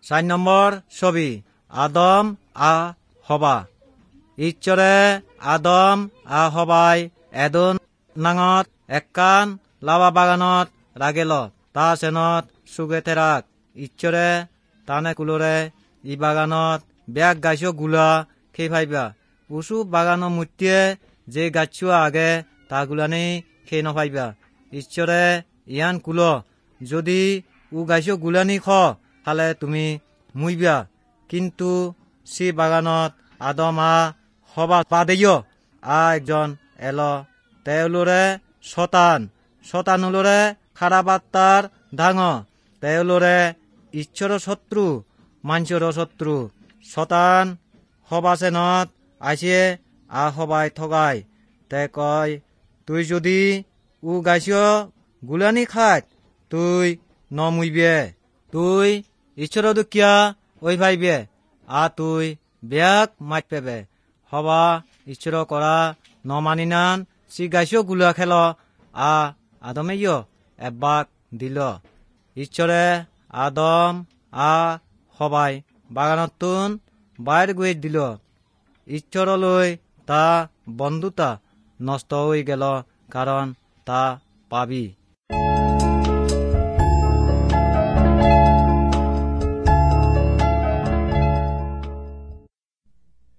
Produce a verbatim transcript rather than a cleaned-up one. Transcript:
চাৰি নম্বৰ ছবি আদম আ হবা। ঈশ্বৰে আদম আ হবাই এদন নাঙত একান লাৱা বাগানত ৰাগেল, তা চেনত সুগে থেৰাক। ঈশ্বৰে তানে কুলৰে ই বাগানত ব্যাগ গাছ গুলা খেই ফাইবা, উচু বাগানৰ মূৰ্তিয়ে যে গাছুৱা আগে তা গুলানি খেই নফাইবা। ঈশ্বৰে ইয়ান কুল, যদি উ গাছ গুলানি খ খালে তুমি মুইবা। কিন্তু সি বাগানত আদম আ হবা বাদেয় আ একজন এল, তেওঁলোৰে শতান। শতানুলৰে খাৰাপ আত্মাৰ ডাঙ, তেওঁলোৰে ঈশ্বৰৰ শত্ৰু, মানুষৰ শত্ৰু। শতান সবাচেনত আহিয়ে আ সবাই ঠগাই তে কয়, তুই যদি উ গাছ গুলানি খাত তুই নমুইবে, তুই ঈশ্বৰ দুখীয়া ঐ ভাইবে, আ তুই বেয়াক মাত পেবে। হবা ঈশ্বৰ কৰা নমানিনান সি গাছ গুলা খেল আ আদমেয় এবাক দিল। ঈশ্বৰে আদম আ সবাই বাগানতুন বাইৰ গৈ দিল। ঈশ্বৰলৈ তা বন্ধুতা নষ্ট হৈ গেল, কাৰণ তা পাবি।